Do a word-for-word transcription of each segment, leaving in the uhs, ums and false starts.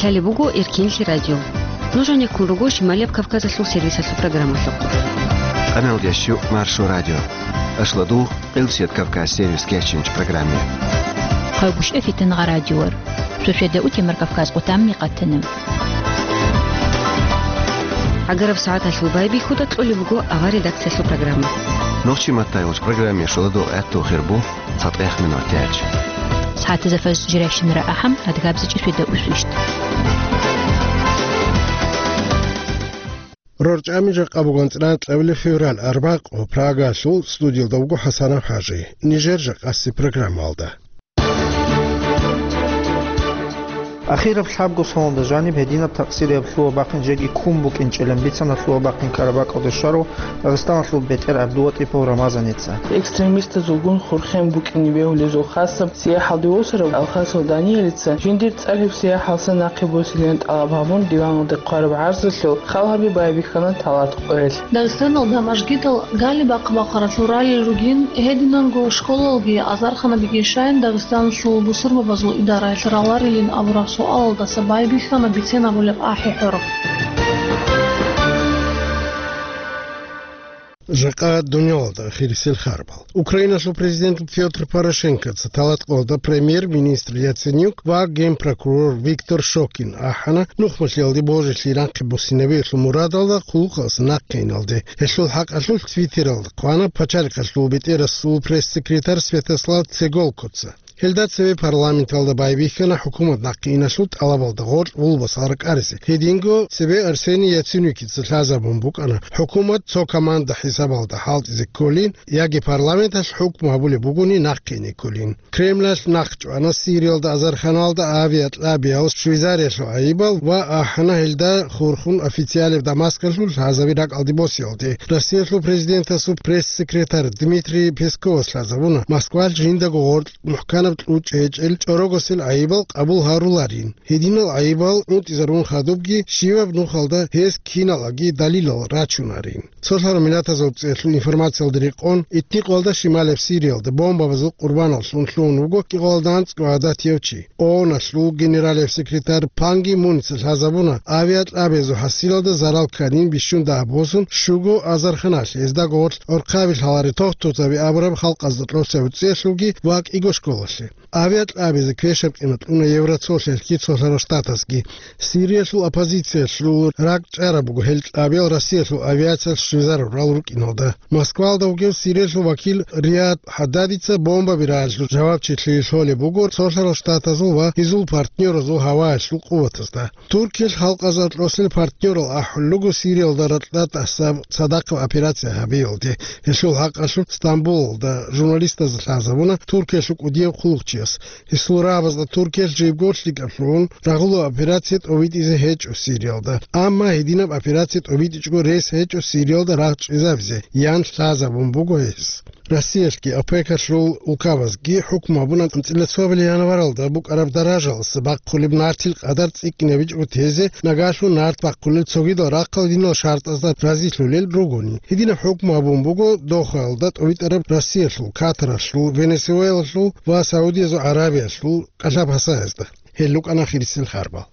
Лъалеб буго Эркинлъи радио. Нуж гьанеккун руго Шималияб Кавказалъул сервисалъул программалъухъ. Къамелдящу Маршо радио. Ашладу Къилсият Кавказ сервис кечинч программе. Хъайгущ эфитан гъа радиор. Суседа утемар Кавказ къутамни къатана. Агараб сагӀаталъул байбихьуда кьолеб буго авар редакциялъул программа. Нохчи маттайулч программе шуладу гӀатту хирбу. ЦатӀех минутач. СагӀатазда фаз жиращинара ахӀам, адгабзичӀи суда усвищт. РорчӀами жакъа бугон цӀран кьабилеб февраль арбакъо Прагалъул студиялда вуго ХӀасанов ХӀажи. Нижер жакъаси программалда. Ахираб лъабго соналда жаниб гьединаб такъсирияб лъугьа-бахъин жеги ккун букӀинчӀилан бицана лъугьа-бахъин ккараб бакӀалде щварав Дагъистаналъул бетӀер ГӀабдулатӀипов Рамазаница. Экстремистазулгун хурхен букӀине бегьулезул хасаб сияхӀалде восарав Алхасов Даниялица жиндир цӀар гьеб сияхӀалса нахъе босилин тӀалаб гьабун диваналде хъвараб гӀарзалъул хал гьаби байбихьана талат къоялъ. Дагъистаналда мажгитал гали бахъ-бахъаралъур ралел ругин, гьединанго школалги азарханабиги щайин Дагъистаналъул бусурбабазул идараялъ раларилин абураб суалалдаса байбихьана бицен абулеб ахӀи-хӀорохъ. Жакъа дунялалда ахирисел харбал. Украиналъул президент Пётр Порошенкоца талат къоялда премьер-министр Яценюк ва генпрокурор Виктор Шокин ахӀана нухмалъиялде божилъи рахъи буссинабиялъул мурадалда хъулухъалъ нахъе иналде. Гьелъул хӀакъалъулъ Твиттералда хъвана пачалихъалъул бетӀерасул пресс-секретарь Святослав Цеголкоца. Гьелда цеве парламенталда байбихьана хӀукумат нахъе иналъул тӀалабалда гъоркь гъулбасал ракӀаризе. Гьединго цебе Арсений Яценюкица лъазабун букӀана хӀукумат цо команда хӀисабалда хӀалтӀизе кколин яги парламенталъ хӀукму гьабулеб бугони нахъе ине кколин. Кремлалъ нахъчӀвана Сириялда азарханалда авиакьабиял Швейцариялъул гӀайибал ва ахӀана гьелда хурхун официалеб Дамаскалъул лъазаби ракӀалде босиялде. Россиялъул президентасул пресс-секретарь Дмитрий Песковас лъазабуна Москвалъ жиндаго гъоркь мухӀканаб кьучӀ гьечӀел чӀорогосел гӀайибал къабул гьаруларин. Гьединал гӀайибал унтӀизарун хадубги, щиваб нухалда гьес киналаги далилал рачунарин. Цолъараб миллатазул цӀехлъул информациялда рекъон, итни къоялда шималаб Сириялда бомбабазул къурбаналлъун лъугьун вуго кӀикъоялда анцӀго гӀадатияв чи. ООНалъул генералияб секретарь Пан Ги Муница лъазабуна авиакьабиязул хӀасилалда зарал кканин бищун дагьаб босун щуго азарханалъ гьезда гъорлъ гӀорхъаби лъаларе тохтурзаби абураб халкъазда тӀоцебе цӀехлъулги ва кӀиго школалъе. Авиакьабизе квешаб къимат кьуна Евросоюзалъги Цолъарал Штатазги. Сириялъул оппозициялъул ракӀчӀараб буго гьел кьабиял Россиялъул авиациялъ щвезарурал рукӀиналда. Москвалда вугев Сириялъул вакил Риад ХӀаддадица бомбаби рагӀалъул жавабчилъи лъолеб буго Цолъарал Штатазул ва гьезул партнёразул гьаваялъул къуватазда. Туркиялъ халкъазда тӀоцел партнёрал ахӀулел руго Сириялда ракьа тӀасаб цадахъаб операция гьабиялде. Гьелъул хӀакъалъулъ Стамбулалда журналистазда лъазабуна Туркиялъул кӀудияв хъулухъчияс. Гьесул рагӀабазда Туркиялъ жибго лъикӀаблъун рагъулаб операция тӀобитӀизе гьечӀо Сириялда. Амма гьединаб операция тӀобитӀичӀого рес гьечӀо Сириялда рагъ чӀезабизе, ян лъазабун буго гьес. Россиялъги ОПЕКалъул улкабазги хӀукму гьабуна анцӀила цоабилеб январалда букӀараб даражалъ бахъулеб нартил къадар цӀикӀкӀинабичӀого тезе, нагагьлъун нарт бахъулел цогидал рахъал динал шартӀазда разилъулел ругони. Гьединаб хӀукму гьабун буго Дохаялда тӀобитӀараб Россиялъул, Катаралъул, Венесуэлалъул ва Саудиязул Аравиялъул кӀалъаб гьасаязда. Гьел рукӀана хирисел харбал.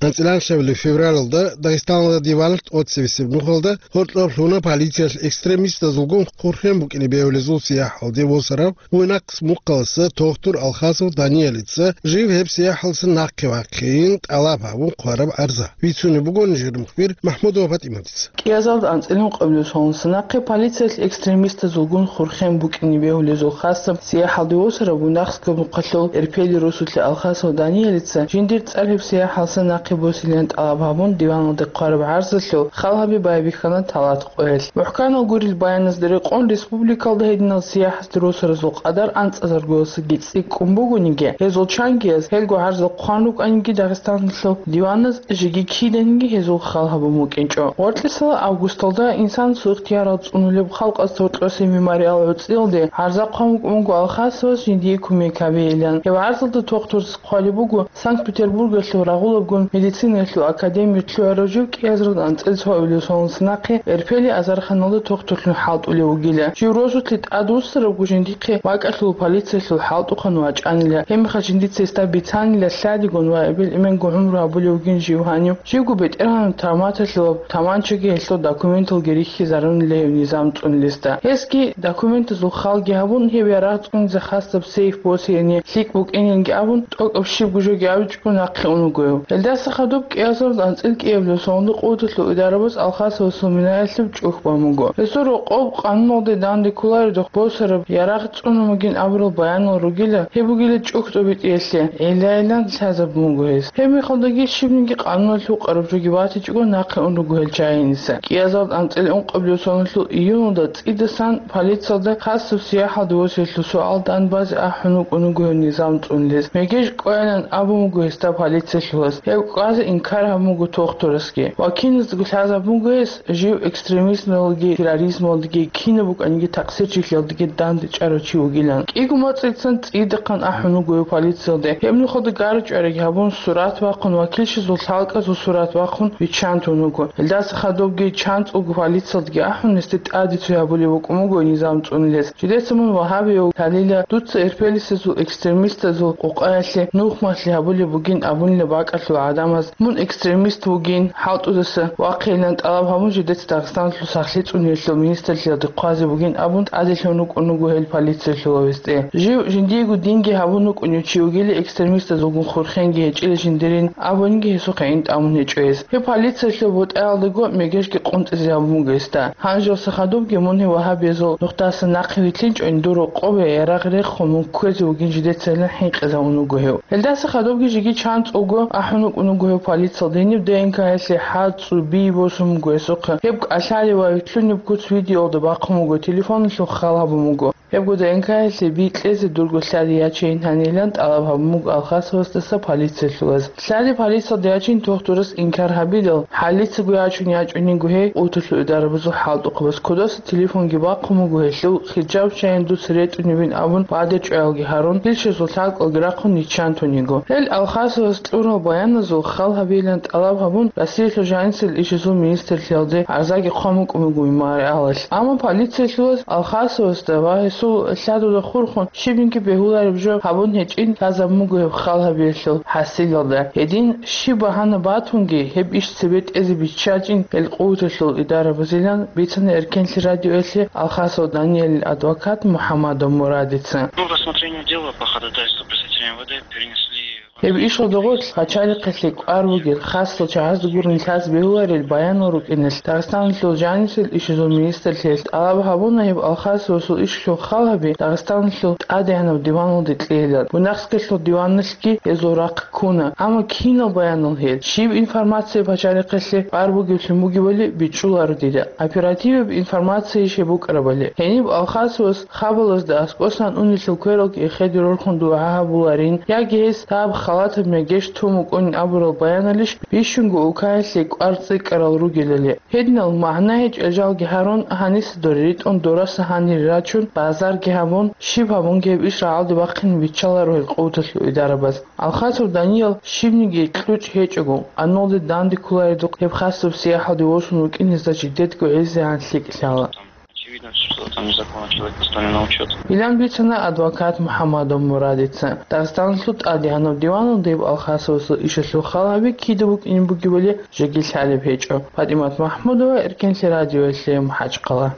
АнцӀила анлъабилеб февралалда Дагъистаналда диван тӀоцебесеб нухалда гьоркьоб лъугьуна полициялъ экстремистазулгун хурхен букӀине бегьулезул сияхӀалде восарав Буйнакск мухъаласа тохтур Алхасов Даниялица жив гьеб сияхӀалса нахъе вахъейин тӀалаб гьабун хъвараб гӀарза. Бицунеб буго нижер мухбир МахӀмудова ПатӀиматица. КӀиазалда анцӀила ункъабилеб соналдаса нахъе полициялъ экстремистазулгун хурхен букӀине бегьулезул хасаб сияхӀалде восарав Буйнакскаб мухъалъул Эрпели росулъа Алхасов Даниялица жиндир цӀар гьеб сияхӀалса нахъе босилин тӀалаб гьабун диваналде хъвараб гӀарзалъул хал гьаби байбихьана талат къоялъ. МухӀканал гурел баяназда рекъон, республикалда гьединал сияхӀалде росаразул къадар анцӀазаргоясаги цӀикӀкӀун бугониги, гьезул чангияз гьелго гӀарзал хъван рукӀаниги Дагъистаналъул диваназ жеги киданиги гьезул хал гьабун букӀинчӀо. Гъоркьисала августалда инсанасул ихтиярал цӀунулеб халкъалъ гьоркьосе мемориал гӀуцӀиялде гӀарза хъван букӀун буго Алхасовас жиндие кумек гьабейилан. Гьеб гӀарзалда тохтурас хъвалеб буго Санкт-Петербургалъул рагъулабгун Медицинаялъул академиялъ лъугьарав жив кӀиазаралда анцӀила цо авиалесоналдаса нахъе Эрпелил азарханалда тухтурлъун хӀалтӀулев вугила. Жив росулъе тӀадвуссарабго жиндихъе бакӀалъула полициялъул хӀалтӀухъан вачӀанила, гьебмехалъ жиндица гьесда бицанила лъадигун ва эбел-эменго гӀумру гьабулев вугин жив гьанив. Живго бетӀергьанаб травматалъе ва таманчаги гьелъул документалги рихьизарунила гьев низам цӀунулесда. Гьесги документазул халги гьабун, гьев ярагъ цӀунизе хасаб сейф босеяни лъикӀ букӀининги абун, тӀокӀаб щибго жоги абичӀого нахъе ун вуго гьев. Гьелдаса хадуб кӀиазаралда анцӀила кӀиабилеб соналда къуваталъул идарабаз Алхасовасул минаялъе чӀухь бан буго. Гьесул рокъоб къануналде данде кколареб босараб ярагъ цӀунун бугин абурал баянал ругила, гьеб бугила чӀухь тӀобитӀиялъе, гӀиллайилан лъазабун буго гьес. Гьеб мехалдаги щибниги къануналъ гьукъараб жоги батичӀого нахъе ун руго гьел чагӀиниса. КӀиазаралда анцӀила ункъабилеб соналъул июналда цӀидасан полициялда хасаб сияхӀалде восиялъул суал дан базе ахӀун вукӀун вуго гьев низам цӀунулес. Мегеж кӀвайилан абун буго гьесда полициялъулас. Гьев кӀвазе инкар гьабун буго тухтурасги. Ва киназдаго лъазабун буго гьес, жив экстремизмалги терроризмалги кинаб букӀаниги такъсирчилъиялдаги данде чӀарав чи вугилан. КӀиго моцӀицан цӀидахъан ахӀун вуго гьев полициялде. Гьеб нухалда гарчӀвараги гьабун, сурат бахъун ва килщазул лъалкӀазул сурат бахъун биччан тун вуго. Гьелдаса хадубги чанцӀулго полициялдаги ахӀун, гьесде тӀаде цо гьабулеб букӀун буго низам цӀунулес. Жидеца мун вагьабияв лъалила, дуца эрпелисезул экстремистазул къукъаялъе нухмалъи гьабулеб бугин абунила бакӀалъул гӀадамаз, мун экстремист вугин, хӀалтӀудаса вахъейилан тӀалаб гьабун, жидеца Дагъистаналъул сахлъи цӀуниялъул министрлъиялде хъвазе бугин абун, тӀаделъун рукӀун вуго гьел полициялъулав гьесде. Жив жиндиего динги гьабун вукӀунев чи вугила, экстремистазулгун хурхенги гьечӀила жиндирин абунги гьесухъе гӀин тӀамун гьечӀо гьес. Гьеб полициялъул бутӀаялдаго мегежги къунтӀизе гьабун буго гьесда. Гьанжелса хадубги мун гьев вагьабиязул нухдасан нахъе вилълъинчӀойин, дур рокъобе ярагъ рехун мун кквезе вугин жидецайилан хӀинкъизавун вуго гьев. Гьелдаса хадубги жеги чанцӀулго ахӀун вукӀун вуго гьев полициялда, гьениб ДНК-ялъе хӀацӀцӀу, би босун буго гьесухъе. Гьеб кӀалъалев ва вилълъунеб куц видеолда бахъун буго, телефоналъул хал гьабун буго. Гьебго ДНК-ялъе би кьезе дурго лъади ячейин гьанилан тӀалаб гьабун буго Алхасовасдаса полициялъулаз. Лъади полициялда ячин тухтурас инкар гьабидал, хӀалицаго ячун ячӀунего гьей къуваталъул идарабазул хӀалтӀухъабаз кодаса телефонги бахъун буго гьелъул, хиджаб чайин дуца ретӀунебин абун, бадер чӀваялги гьарун, килщазул лъалкӀалги рахъун йиччан тун йиго. Гьел Алхасовас кьурал баяназул хал гьабейилан тӀалаб гьабун, Россиялъул жанисел ишазул министрлъиялде гӀарзаги хъван букӀун буго мемориалалъ. Амма полициялъулаз Алхасовасда ва гьесул лъадуда хурхун щибниги бегьулареб жо гьабун гьечӀин лъазабун буго гьеб хал гьабиялъул хӀасилалда. Гьедин щиб багьана батунги, гьеб иш цебе тӀезе биччачӀин гьел къуваталъул идарабазилан бицана Эркенлъи радиоялъе Алхасов Даниялил адвокат МухӀаммадов Мурадица. Ну, рассмотрение дела по ходатайству представителя МВД перенесли Гьеб ишалда гъорлъ пачалихъалъе кӀвар бугел хасал чагӀазда гурин лъаз бегьуларел баянал рукӀиналъ, Дагъистаналъул жанисел ишазул министрлъиялъ тӀалаб гьабуна гьеб Алхасовасул ишалъул хал гьаби Дагъистаналъул ТӀадегӀанав диваналде кьейилан. Бунахскалъул диваналъги гьезул рахъ ккуна, амма кинал баянал гьел, щиб информация пачалихъалъе кӀвар бугевлъун бугебали бичӀчӀуларо дида. Оперативаб информация щиб букӀарабали. Гьениб Алхасовас хабалазда аскӀосан унелъул квералги эхеде рорхун дугӀа гьабуларин, яги гьес гьаб халатаб мегеж тун букӀунин абурал баяналищ бищунго улкаялъе кӀвар цӀикӀкӀарал ругелали. Гьединал магӀна гьечӀел жалги гьарун, гьаниса дора ритӀун, дораса гьанире рачун, базарги гьабун, щиб гьабунги гьеб иш рагӀалде бахъине биччаларо гьел къуваталъул идарабаз. Алхасов Даниял щибниги кьучӀ гьечӀого, къануналде данде кколаредухъ гьеб хасаб сияхӀалде восун вукӀин гьезда жидедго гӀезегӀан лъикӀ лъала. Очевидно, что там незаконно человек поставлен на учёт. Илан бицана адвокат МухӀаммадов Мурадица. Дагъистаналъул ТӀадегӀанав диваналда гьеб Алхасовасул ишалъул хал гьаби кида букӀине бугебали жеги лъалеб гьечӀо. ПатӀимат МахӀмудова, Эркенлъи радиоялъе, МахӀачхъала.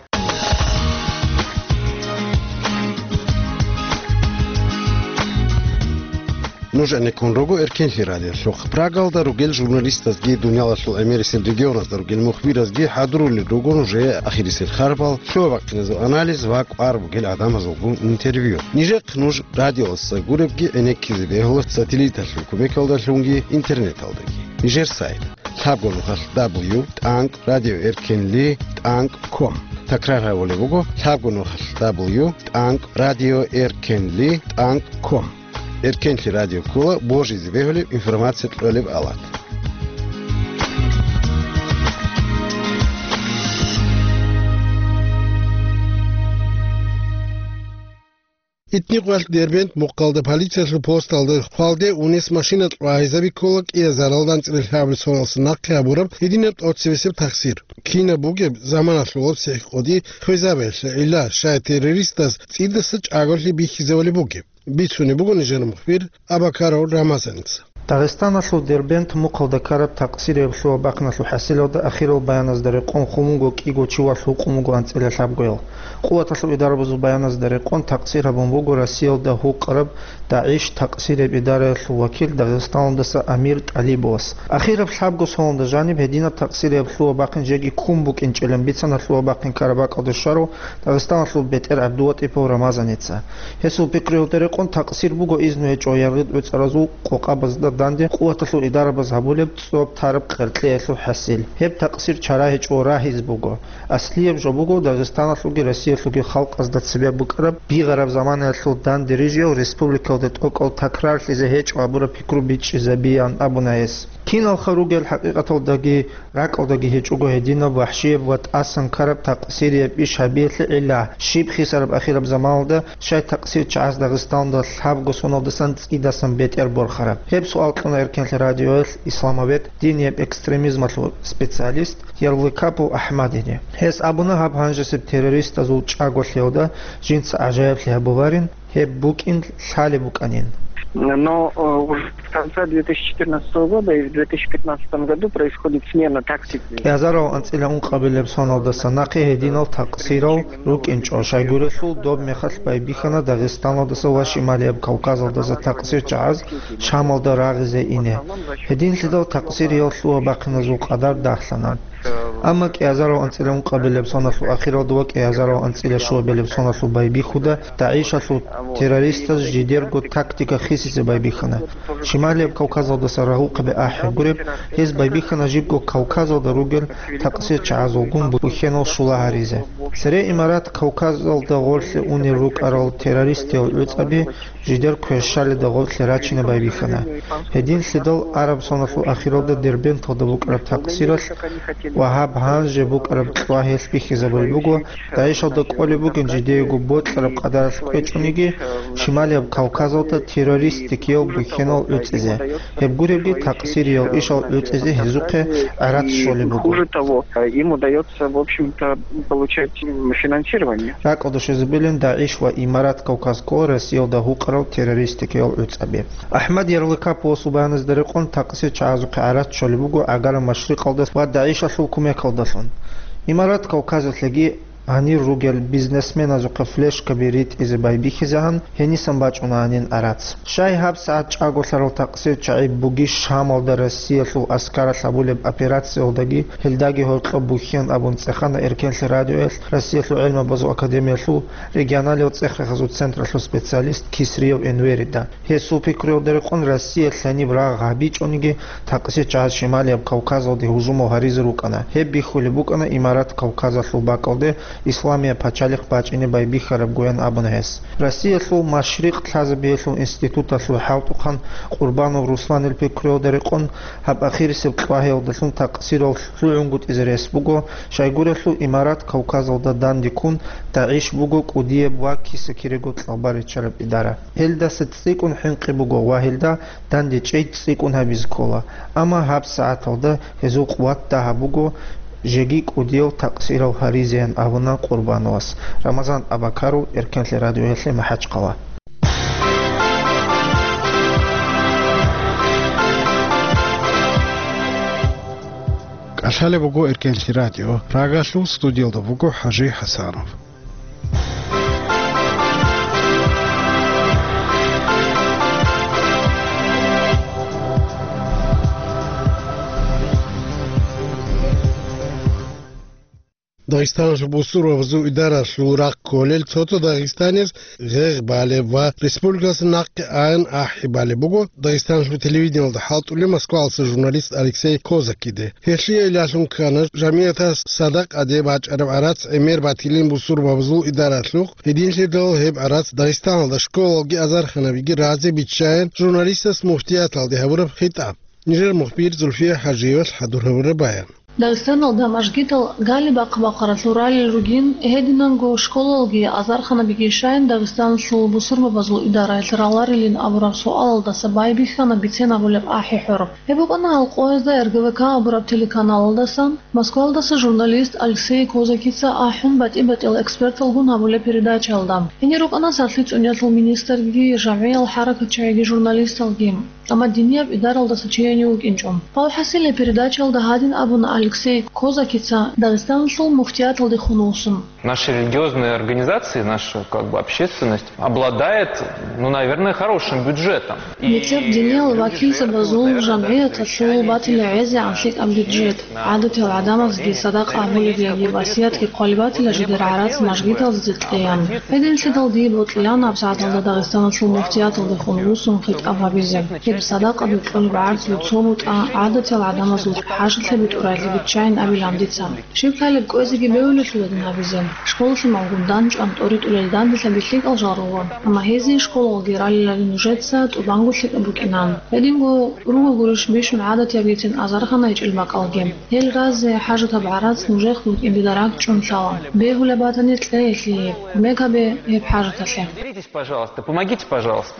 Нуж гӀенеккун руго Эркенлъи радиолъухъ. Прагалда ругел журналистазги, дуниялалъул гӀемерисел регионазда ругел мухбиразги хӀадурулел руго нужее ахирисел харбал, лъугьа-бахъиназул анализ ва кӀвар бугел гӀадамазулгун интервью. Нижехъ нуж радиоялдаса гуребги гӀенеккизе бегьула сателлиталъул кумекалдалъунги интернеталдаги. Нижер сайт: лъабго нухалъ дабл ю тӀанкӀ радио эркенли тӀанкӀ ком. Такрар гьабулеб буго: лъабго нухалъ дабл ю тӀанкӀ радио эркенли тӀанкӀ ком. Эркенлъи радио ккола божизе бегьулеб информация кьолеб авлад. Итни къвалъ Дербент мухъалда полициялъул посталда хвалде унес машина кьвагьизаби ккола кӀиазаралда анцӀила лъабабилеб соналдаса нахъе гьабураб гьединаб тӀоцебесеб тахсир. Кинаб бугеб заманалъулаб сихӀкъоди хвезабиялъе гӀилла, щай террористаз цӀидаса чӀаголъи бихьизабулеб бугеб? Бицунеб буго нижер мухбир Абакаров Рамазаница. Дагъистаналъул Дербент мухъалда ккараб такъсирияб лъугьа-бахъиналъул хӀасилалда ахирал баяназда рекъон хун вуго кӀиго чи ва лъукъун вуго анцӀила лъабгоял. Къуваталъул идарабазул баяназда рекъон такъсир гьабун буго Россиялда гьукъараб ДагӀиш такъсирияб идараялъул вакил Дагъистаналдаса Амир ТӀалибовас. Ахираб лъабго соналда жаниб гьединаб такъсирияб лъугьа-бахъин жеги ккун букӀинчӀилан бицана лъугьа-бахъин ккараб бакӀалде щварав Дагъистаналъул бетӀер ГӀабдулватӀипов Рамазаница. Гьесул пикруялда рекъон такъсир буго изну гьечӀо яргъи-тӀоцӀаразул къокъабазда данде къуваталъул идарабаз гьабулеб цӀоб тараб къеркьеялъул хӀасил. Гьеб такъсир чара гьечӀо, рагьиз буго. Аслияб жо буго Дагъистаналъулги Россиялъулги халкъазда цебе букӀараб бигъараб заманаялъул данде рижиял республикалда тӀокӀал такрарлъизе гьечӀо абураб пикру бичӀчӀизабиян абуна гьес. Киналха ругел хӀакъикъаталдаги ракӀалдаги гьечӀого гьединаб вахӀщияб ва тӀасан ккараб такъсирияб иш гьабиялъе гӀилла, щиб хисараб ахираб заманалда, щай такъсир чагӀаз Дагъистаналда лъабго соналдасан цӀидасан бетӀер борхараб? Гьеб суал кьуна Эркенлъи радиоялъ исламовед, динияб экстремизмалъул специалист Ярлыкапов АхӀмадиде. Гьес абуна гьаб гьанжесеб террористазул чӀаголъиялда жинца гӀажаиблъи гьабуларин, гьеб букӀин лъалеб букӀанин. Но, э, уже с конца две тысячи четырнадцатого года и в две тысячи пятнадцатом году происходит смена тактики. КӀиазарав анцӀила ункъабилеб соналдаса нахъе гьединал такъсирал рукӀинчӀо, щайгурелъул доб мехалъ байбихьана Дагъистаналдаса ва Шималияб Кавказалдаса такъсир чагӀаз Шамалда рагъизе ине. Гьединлъидал такъсириял лъугьа-бахъиназул къадар дагьлъана. Амма кӀиазарав анцӀила ункъабилеб соналъул ахиралда ва кӀиазарав анцӀила щуабилеб соналъул байбихьуда ДагӀишалъул террористаз жидерго тактика хисизе байбихьана. Шималияб Кавказалдаса рагъухъаби ахӀи гуреб, гьез байбихьана жибго Кавказалда ругел такъсир чагӀазулгун бухьенал щула гьаризе. Цере Имарат Кавказалда гъорлъе унел рукӀарал террористиял гӀуцӀаби жидер квешалида гъорлъе рачине байбихьана. Гьединлъидал араб соналъул ахиралда Дербенталда букӀараб такъсиралъ ва гьаб гьанже букӀараб кьвагьиялъ бихьизабулеб буго, ДагӀишалда кӀолеб бугин жидеего бокьараб къадаралъ кӀвечӀониги, Шималияб Кавказалда террористикиял бухьенал гӀуцӀизе. Гьеб гуребги такъсириял ишал гӀуцӀизе гьезухъе гӀарац щолеб буго. Хуже того, им удается, в общем-то, получать финансирование. РакӀалда щвезабилин ДагӀиш ва Имарат Кавказ ккола Россиялда гьукъарал террористикиял гӀуцӀаби. АхӀмад Ярлыкаповасул баяназда рекъон такъсир чагӀазухъе гӀарац щолеб буго ГӀагараб Машрикъалда ва ДагӀишалъул кумекалдалъун. Имарат Кавказалъеги гьанир ругел бизнесменазухъе флешкаби ритӀизе байбихьизегӀан гьенисан бачӀунаанин гӀарац. Щай гьабсагӀат чӀаголъарал такъсир чагӀи бугищ Шамалда Россиялъул аскаралъ гьабулеб операциялдаги гьелдаги гьоркьоб бухьен абун цӀехана Эркенлъи радиоялъ Россиялъул гӀелмабазул академиялъул регионалияб цӀех-рехазул централъул специалист Кисриев Энверида. Гьесул пикруялда рекъон Россиялъ гьаниб рагъ гьабичӀониги, такъсир чагӀаз Шималияб Кавказалде гьужумал гьаризе рукӀана. Гьеб бихьулеб букӀана Имарат Кавказалъул бакӀалде исламияб пачалихъ бачӀине байбихьарабгоян абуна гьес. Россиялъул Машрикъ лъазабиялъул институталъул хӀалтӀухъан Къурбанов Русланил пикруялда рекъон, гьаб ахирисеб кьвагьиялдалъун такъсирал лъугӀунгутӀизе рес буго, щайгурелъул Имарат Кавказалда данде ккун, ДагӀиш буго кӀудияб ва киса-кирего цӀалба риччараб идара. Гьелдаса цӀикӀкӀун хӀинкъи буго ва гьелда данде чӀей цӀикӀкӀун гьабизе ккола, амма гьабсагӀаталда гьезул къуват дагьаб буго жеги кӀудиял такъсирал гьаризеян абуна Къурбановас. Рамазан Абакаров, Эркенлъи радиоялъе, МахӀачхъала. КӀалъалеб буго Эркенлъи радио, Прагалъул, студиялда вуго ХӀажи ХӀасанов. Дагъистаналъул бусурбабазул идаралъул рахъ кколел цо-цо дагъистанияз гъегъ балеб ва республикалъа нахъе аян ахӀи балеб буго Дагъистаналъул телевидениялда хӀалтӀулев Москвалъуса журналист Алексей Козакиде. Гьелъие илалъун ккана жамигӀатас садакъаде бачӀараб гӀарац гӀемер батилин бусурбабазул идаралъухъ, гьединлъидал гьеб гӀарац Дагъистаналда школалги азарханабиги разе биччаян журналистас муфтияталде гьабураб хитӀаб. Нижер мухбир Зульфия ХӀажиевалъ хӀадур гьабураб баян. Дагъистаналда мажгитал гали бахъ-бахъаралъур ралел ругин, гьединанго школалги азарханабиги щайин Дагъистаналъул бусурбабазул идараялъ раларилин абураб суалалдаса байбихьана бицен абулеб ахӀи-хӀур. Гьеб букӀана гьал къоязда Р Г В К абураб телеканалалдасан, Москвалдаса журналист Алексей Козакица ахӀун, батӀи-батӀиял эксперталгун гьабулеб передачаялда. Гьенир рукӀана сахлъи цӀуниялъул министрги, жагӀиял хӀаракатчагӀиги, журналисталги, амма динияб идаралдаса чияни вукӀинчӀо. ВалхӀасил, гьеб передачаялда гьадин абуна Алексей Козакица Дагъистаналъул муфтияталдехун вуссун. Наши религиозные организации, наша, как бы, общественность обладает, ну, наверное, хорошим бюджетом. Нилъер диниял вакилзабазул жамгӀияталъул батила гӀезегӀан лъикӀаб бюджет. ГӀадатиял гӀадамазги садакъа гьабулеб яги васиятги хъвалеб батила жидер гӀарац мажгиталдезе кьеян. Гьединлъидал дие бокьилаан гьабсагӀаталда Дагъистаналъул муфтияталдехун вуссун хитӀаб гьабизе. Гьеб садакъа букьулеб гӀарцул цо бутӀа гӀадатиял гӀадамазул хӀажалъе битӀурайилан биччайин абилан дица. Щиб лъалеб кӀвезеги бегьулелъула дин гьабизе. Школалъималгун данчӀван тӀоритӀулел данделъаби лъикӀал жал руго, амма гьезие школалги ралилали нужеца тӀубанго лъикӀаб букӀинан. Гьединго руго гурищ бищун гӀадатияб бицин азархана гьечӀел бакӀалги. Гьел разе хӀажатаб гӀарац нужехъ букӀин дида ракӀчӀун лъала. Бегьулеб батани, кье гьелъие, кумек гьабе гьеб хӀажаталъе. Делитесь, пожалуйста, помогите, пожалуйста.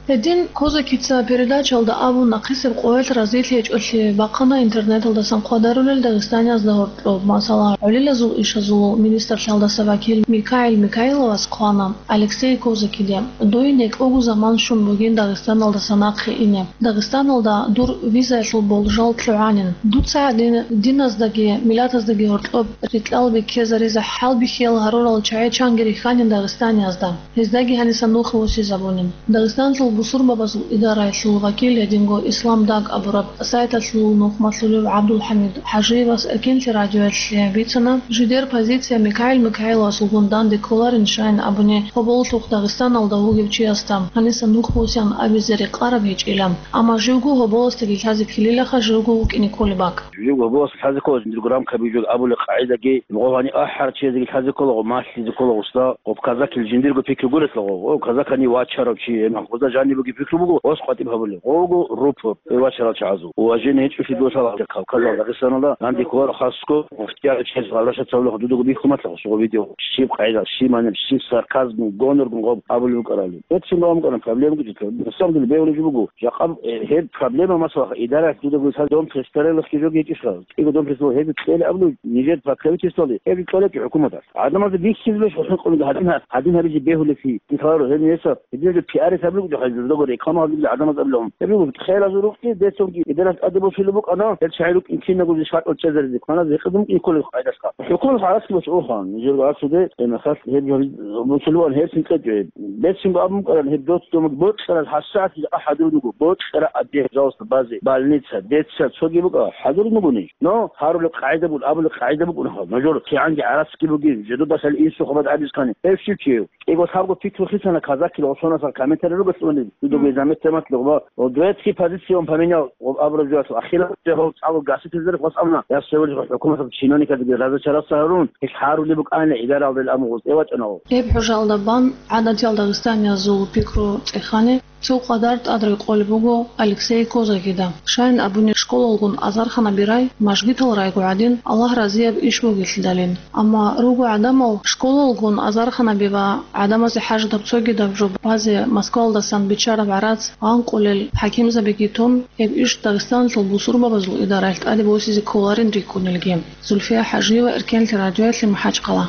Гьедин Козакица передачаялда абун, нахъисеб къоялъ разилъи гьечӀолъи бахъана интернеталдасан хъвадарулел дагъистаниязда гьоркьоб. Масала, гӀолилазул ишазул министрлъалдаса вакил Микаил Микаиловас хъвана Алексей Козакиде: «Дой некӀого заман щун бугин Дагъистаналдаса нахъе ине. Дагъистаналда дур визаялъул болжал лъугӀанин. Дуца гьадин диназдаги миллатаздаги гьоркьоб рикьал беккезаризе хӀалбихьиял гьарурал чагӀи чанги рихьанин дагъистаниязда. Гьездаги гьаниса нухе восизабунин». Дагъистаналъул бусурбабазул идараялъул вакил, гьединго Ислам Даг абураб сайталъул нухмалъулев ГӀабдулхӀамид ХӀажиевас Эркенлъи радиоялъе бицана, жидер позиция Микаил Микаиловасулгун данде кколарин щайин абуни, гьоболлъухъ Дагъистаналда вугев чиясда гьаниса нух босян абизе рекъараб гьечӀила. Амма живго гьоболасдаги лъазе ккелилаха, живго вукӀине кколеб бакӀ. Живго гьоболас лъазе ккола жиндирго рамкаби жо абулеб къагӀидаги, гъо гьани ахӀарчияздеги лъазе ккола, гъо малъизе ккола гъосда, гъоб казакил жиндирго пикру гурелъул гъо, о, казакани вачарав чи, гьеб гъозда жанибеги пикру буго, ос къватӀиб гьабулеб. Гъо вуго рупор, э, вачарал чагӀазул. Уважение гьечӀолъи досала Кавказал, Дагъистаналда, данде кколаро хасго, муфтият чияс гъалаша цавлахъ дудуго бихьун батлагъ, суго видео, щиб къайда, щиб маниб, щиб сарказм, гоноргун гъоб абулеб букӀарали. Гьеб цин гъо букӀана проблема гучӀулъ. На самом деле бегьулеб жо буго, жакъа, э, гьеб проблема, масала, идаралъ дуда гуро цадахъ дом престарелых жоги гьечӀищха? КӀиго дом престарелых гьеб кьела абулеб нижер покровительствоялде, гьеб кьела чи хӀукуматалъ. ГӀадамазда бихьизабищ гьалъун къулги гьадин гьа-, гьадин гьабизе бегьулеб чи? Дин лъаларо гьеб несаб. Гьединаб пиарес абулеб жо гьазир дого реклама гьабулеб гӀадамаз абулеб. Гьеб буго хелазул рукъги, бецунги, идаралъ тӀаде босулеб букӀана, гьел чагӀи рукӀин кинабго жо шартӀал чӀезаризе, кваназе гьекъезабун кӀиколеб къайдалъха. ХӀукуматалъ гьаракьлъи босун ухан, нижер гьаракьлъуде, э, махалъ гьеб жо-, босулеб ан гьеб цин кьечӀо. Бецунго абун букӀаран гьеб доцӀ-, дома бокьарал гьасагӀат жакъа хӀадур буго, бокьараб дегь, жалоста, базе, больница, детсад, цоги букӀа, хӀадур бугони. Но гьарулеб къагӀида бугун, абулеб къагӀида букӀун гьаб. Нужер кигӀанги гӀарацги бугин, жидедаса инсухъабад абискани, гьев щив чияв? КӀиго лъабго пикру хисана казакил гъосонасал комментарий ругелъулани, дудуги заметте матлугъба, о, дуэцкий позицион поменял, о, абураб жоялъул ахирал жагьул цӀалул гаситезер хвас абуна, я севел жо хӀукуматаб чиновникадги разочароваться гьарун, гьел гьарулеб букӀана, идаралдал аму гъуз эвачӀана. Гьеб хӀужалда бан гӀадатиял дагъистаниязул пикру цӀехани, цо къадар тӀад рекъолеб буго Алексей Козакида. Щайин абуни, школалгун азарханаби рай мажгитал райго гӀадин, Аллагь разияб иш бугелъидалин. Амма руго гӀадамал школалгун азарханаби ва гӀадамазе хӀажатаб цогидаб жо базе Москвалдасан биччараб гӀарац гъанкъулел хӀакимзабиги тун, гьеб иш Дагъистаналъул бусурбабазул идаралъ тӀаде босизе кколарин рикӀкӀунелги. Зульфия ХӀажиева, Эркенлъи радиоялъе, МахӀачхъала.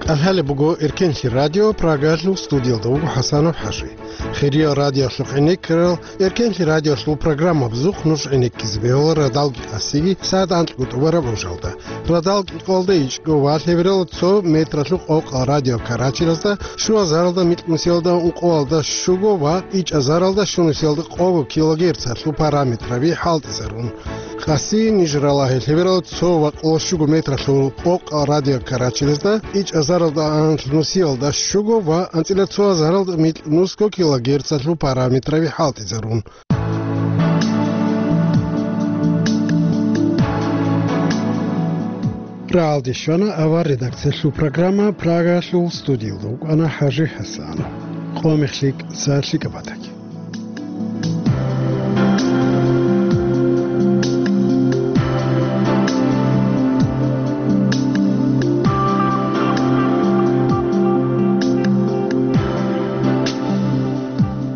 КӀалъалеб буго Эркенлъи радио, Прагалъул студиялда вуго ХӀасанов ХӀажи. Хириял радиоялъухъ гӀенеккарал, Эркенлъи радиоялъул программабазухъ нуж гӀенеккизе бегьула радалги къасиги сагӀат анкьго тӀубараб гӀужалда. Радал кӀикъоялда ичӀго ва лъебералда цо метралъул къокъал радиокарачелазда, щуазаралда микьнусиялда ункъоялда щуго ва ичӀазаралда щунусиялда къого килогерцалъул параметраби хӀалтӀизарун. Къаси ниж ралагье лъеберал цо ва къоло щуго метралъул къокъал радиокарачелазда, ичӀазаралда анлънусиялда щуго ва анцӀила цо азаралда микьнусго килогерцалъул параметраби хӀалтӀизарун. Рагьалде щвана авар редакциялъул программа, Прагалъул студиялда вукӀана ХӀажи ХӀасанов. Къо мехлъи, са лъикӀаб батаги.